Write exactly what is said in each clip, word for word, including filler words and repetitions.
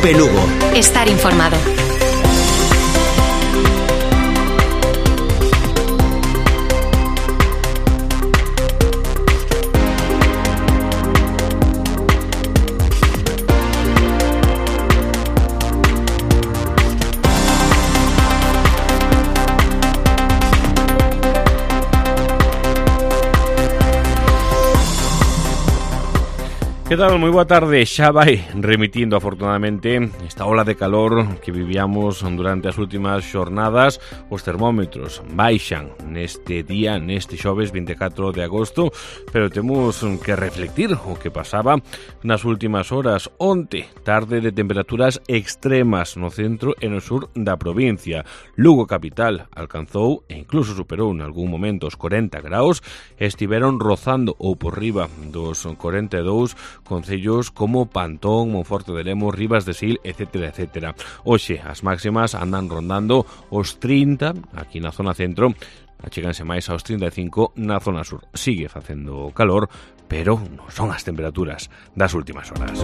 Cope Lugo. Estar informado. Que tal? Moi boa tarde. Xa vai remitindo, afortunadamente, esta ola de calor que vivíamos durante as últimas xornadas. Os termómetros baixan neste día, neste xoves vinte e catro de agosto, pero temos que reflectir o que pasaba nas últimas horas. Onte, tarde de temperaturas extremas no centro e no sur da provincia. Lugo capital alcanzou e incluso superou en algún momento os corenta graus, estiveron rozando ou por riba dos corenta e dous concellos como Pantón, Monforte de Lemos, Rivas de Sil, etcétera, etcétera. Hoxe as máximas andan rondando os trinta aquí na zona centro, acheganse máis aos trinta e cinco na zona sur. Sigue facendo calor, pero non son as temperaturas das últimas horas.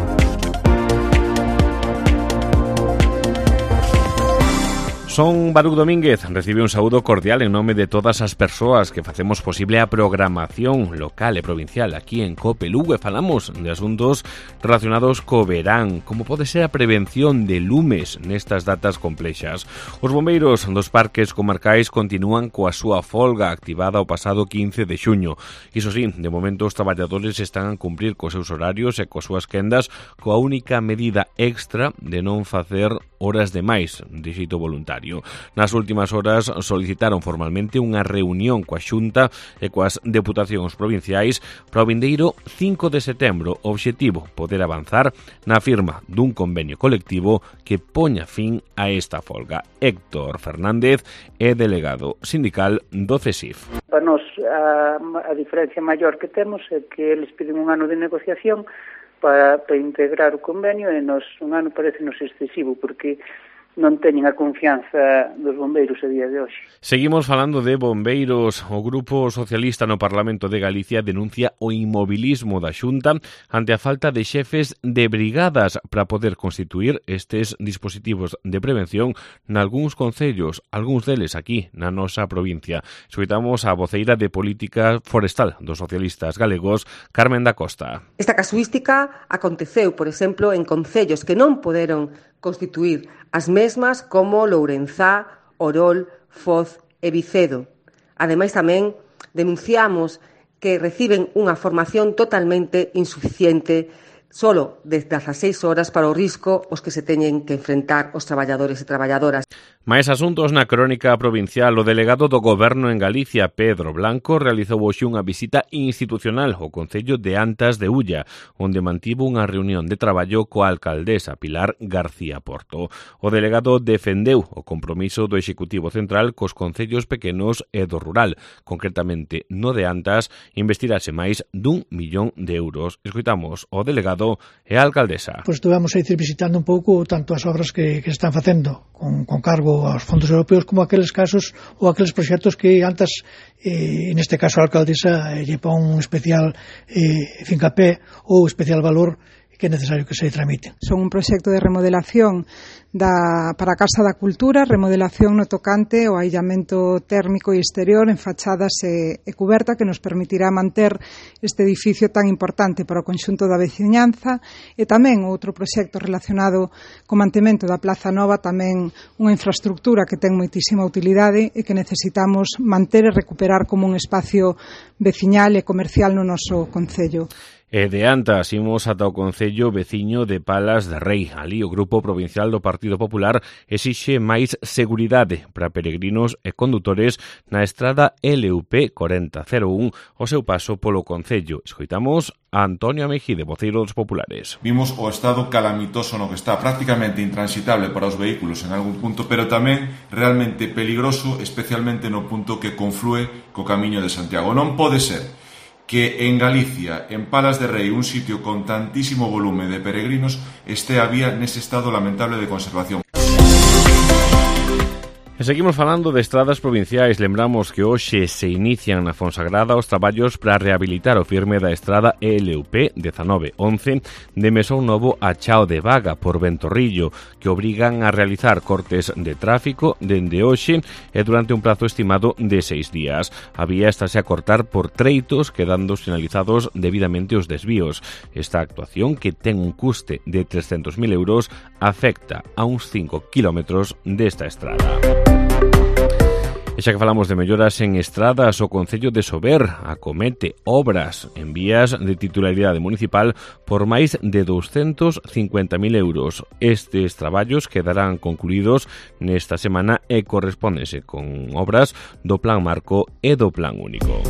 Son Baruch Domínguez, recibe un saúdo cordial en nome de todas as persoas que facemos posible a programación local e provincial aquí en Cope Lugo e falamos de asuntos relacionados co verán, como pode ser a prevención de lumes nestas datas complexas. Os bombeiros dos parques comarcais continúan coa súa folga activada o pasado quince de xuño. Iso sí, de momento os traballadores están a cumprir cos seus horarios e coas súas quendas coa única medida extra de non facer horas de máis de xeito voluntario. Nas últimas horas solicitaron formalmente unha reunión coa Xunta e coas deputacións provinciais para o vindeiro cinco de setembro. O obxectivo, poder avanzar na firma dun convenio colectivo que poña fin a esta folga. Héctor Fernández é delegado sindical do CESIF. Para nós, a, a diferencia maior que temos é que eles piden un ano de negociación para, para integrar o convenio e nos, un ano parece-nos excesivo porque non teñen a confianza dos bombeiros a día de hoxe. Seguimos falando de bombeiros. O Grupo Socialista no Parlamento de Galicia denuncia o inmobilismo da Xunta ante a falta de xefes de brigadas para poder constituir estes dispositivos de prevención nalgúns concellos, algúns deles aquí na nosa provincia. Escoitamos a voceira de Política Forestal dos socialistas galegos, Carmen da Costa. Esta casuística aconteceu, por exemplo, en concellos que non poderon constituir as mesmas como Lourenzá, Orol, Foz e Vicedo. Ademais, tamén denunciamos que reciben unha formación totalmente insuficiente solo desde as seis horas para o risco os que se teñen que enfrentar os traballadores e traballadoras. Mais asuntos na crónica provincial. O delegado do Goberno en Galicia, Pedro Blanco, realizou hoxe unha visita institucional ao concello de Antas de Ulla, onde mantivo unha reunión de traballo coa alcaldesa Pilar García Porto. O delegado defendeu o compromiso do Executivo Central cos concellos pequenos e do rural. Concretamente, no de Antas, investirase máis dun millón de euros. Escoitamos o delegado e a alcaldesa. Pois estuvemos a ir visitando un pouco tanto as obras que, que están facendo con, con cargo aos fondos europeos como aqueles casos ou aqueles proxectos que antes, eh, neste caso a alcaldesa, eh, lle pon un especial eh, fincapé ou especial valor que é necesario que se tramite. Son un proxecto de remodelación da, para a Casa da Cultura, remodelación no tocante ao aillamento térmico e exterior en fachadas e, e cuberta que nos permitirá manter este edificio tan importante para o conxunto da veciñanza e tamén outro proxecto relacionado co mantemento da Plaza Nova, tamén unha infraestructura que ten moitísima utilidade e que necesitamos manter e recuperar como un espacio veciñal e comercial no noso concello. E de Antas imos ata o concello veciño de Palas de Rei. Ali o Grupo Provincial do Partido Popular exixe máis seguridade para peregrinos e condutores na estrada L U P corenta cero un o seu paso polo concello. Escoitamos a Antonio Mejide, voceiro dos populares. Vimos o estado calamitoso no que está, prácticamente intransitable para os vehículos en algún punto, pero tamén realmente peligroso, especialmente no punto que conflúe co Camiño de Santiago. Non pode ser que en Galicia, en Palas de Rei, un sitio con tantísimo volume de peregrinos, este a vía nese estado lamentable de conservación. E seguimos falando de estradas provinciais. Lembramos que hoxe se inician na Fonsagrada os traballos para rehabilitar o firme da estrada L U P dezanove once de Mesón Novo a Chao de Vaga por Ventorrillo, que obrigan a realizar cortes de tráfico dende hoxe e durante un prazo estimado de seis días. A vía estáse a cortar por treitos, quedando sinalizados debidamente os desvíos. Esta actuación, que ten un custe de trescentos mil euros, afecta a uns cinco kilómetros desta estrada. E xa que falamos de melloras en estradas, o Concello de Sober acomete obras en vías de titularidade municipal por máis de doscientos cincuenta mil euros. Estes traballos quedarán concluídos nesta semana e correspóndense con obras do Plan Marco e do Plan Único.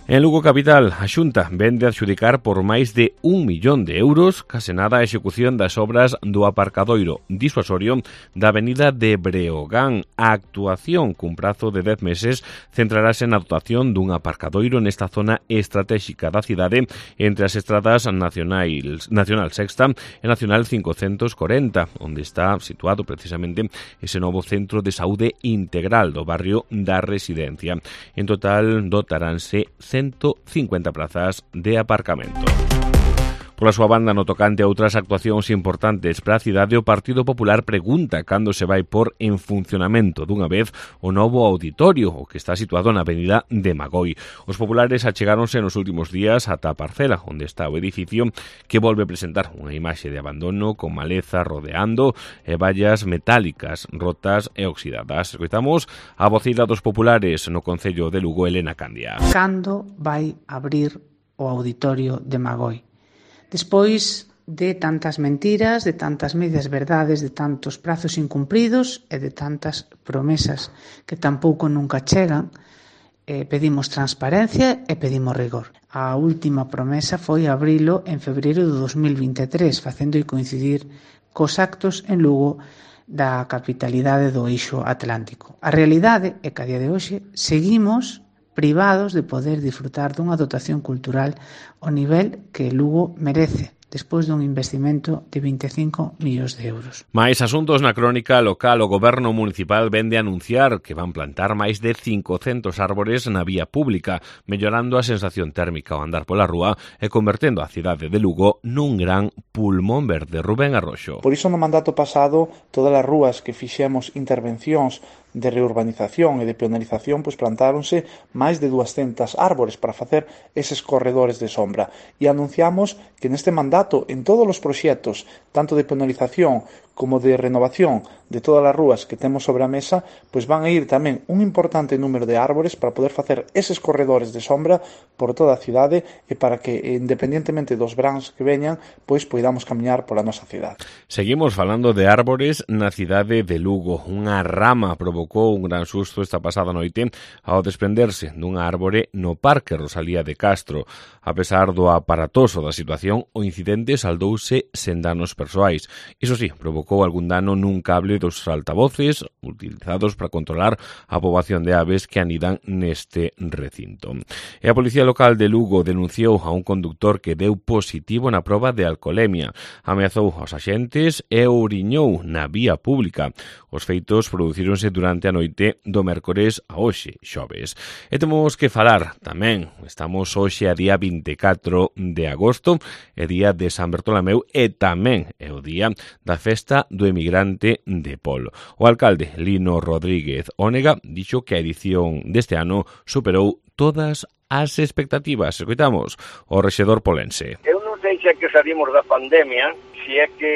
En Lugo Capital, a Xunta vende adxudicar por máis de un millón de euros case nada a execución das obras do aparcadoiro disuasorio da avenida de Breogán. A actuación, cun prazo de dez meses, centrarase na dotación dun aparcadoiro nesta zona estratégica da cidade entre as estradas nacionais, Nacional Sexta e Nacional quinhentos corenta, onde está situado precisamente ese novo centro de saúde integral do barrio da Residencia. En total, dotaránse ciento cincuenta plazas de aparcamento. Pola súa banda, no tocante a outras actuacións importantes para a cidade, o Partido Popular pregunta cando se vai por en funcionamento dunha vez o novo auditorio, o que está situado na avenida de Magoi. Os populares achegáronse nos últimos días ata a parcela onde está o edificio, que volve presentar unha imaxe de abandono con maleza rodeando e vallas metálicas rotas e oxidadas. Escoitamos a voceira dos populares no Concello de Lugo, Elena Candia. Cando vai abrir o auditorio de Magoi? Despois de tantas mentiras, de tantas medias verdades, de tantos prazos incumpridos e de tantas promesas que tampouco nunca chegan, eh, pedimos transparencia e pedimos rigor. A última promesa foi abrilo en febreiro do dos mil vinte e tres, facendo coincidir cos actos en Lugo da capitalidade do eixo atlántico. A realidade é que a día de hoxe seguimos privados de poder disfrutar dunha dotación cultural ao nivel que Lugo merece, despois dun investimento de vinte e cinco millóns de euros. Mais asuntos na crónica local. O Goberno municipal vende a anunciar que van plantar máis de cincocentos árbores na vía pública, mellorando a sensación térmica ao andar pola rúa e convertendo a cidade de Lugo nun gran pulmón verde. Rubén Arroxo. Por iso no mandato pasado, todas as rúas que fixemos intervencións de reurbanización e de peonalización, pois plantáronse máis de duascentas árbores para facer eses corredores de sombra. E anunciamos que neste mandato, en todos os proxectos, tanto de peonalización como de renovación de todas as rúas que temos sobre a mesa, pois van a ir tamén un importante número de árbores para poder facer eses corredores de sombra por toda a cidade e para que, independentemente dos brans que veñan, pois poidamos camiñar pola nosa cidade. Seguimos falando de árbores na cidade de Lugo. Unha rama provocou un gran susto esta pasada noite ao desprenderse dunha árbore no Parque Rosalía de Castro. A pesar do aparatoso da situación, o incidente saldouse sen danos persoais. Iso sí, provocou algún dano nun cable dos altavoces utilizados para controlar a poboación de aves que anidan neste recinto. E a Policía Local de Lugo denunciou a un conductor que deu positivo na proba de alcolemia. Ameazou aos axentes e ouriñou na vía pública. Os feitos producíronse durante a noite do mércores a hoxe, xoves. E temos que falar tamén, estamos hoxe a día vinte e catro de agosto, é día de San Bertolomeu e tamén é o día da festa do emigrante de Pol. O alcalde Lino Rodríguez Ónega dixo que a edición deste ano superou todas as expectativas. Escoitamos o rexedor polense. Eu non sei se é que salimos da pandemia, se é que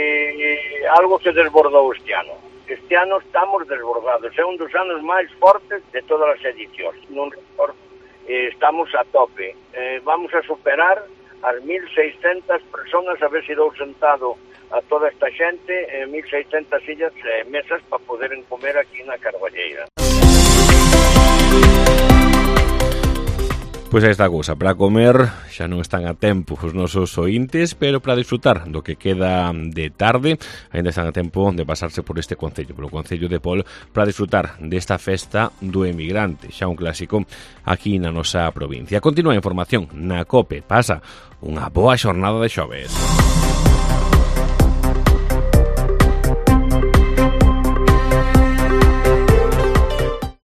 algo se desbordou este ano. Este ano estamos desbordados, é un dos anos máis fortes de todas as edicións. Non recordo, eh, estamos a tope. Eh, vamos a superar as mil seiscentas personas, a ver se dou sentado a toda esta xente, eh, mil seiscentas sillas e eh, mesas para poder comer aquí na Carballeira. Pois aí está a cousa, para comer xa non están a tempo os nosos ointes, pero para disfrutar do que queda de tarde, ainda están a tempo de pasarse por este concello, polo Concello de Pol, para disfrutar desta festa do emigrante, xa un clásico aquí na nosa provincia. Continúa a información na COPE, pasa unha boa xornada de xoves.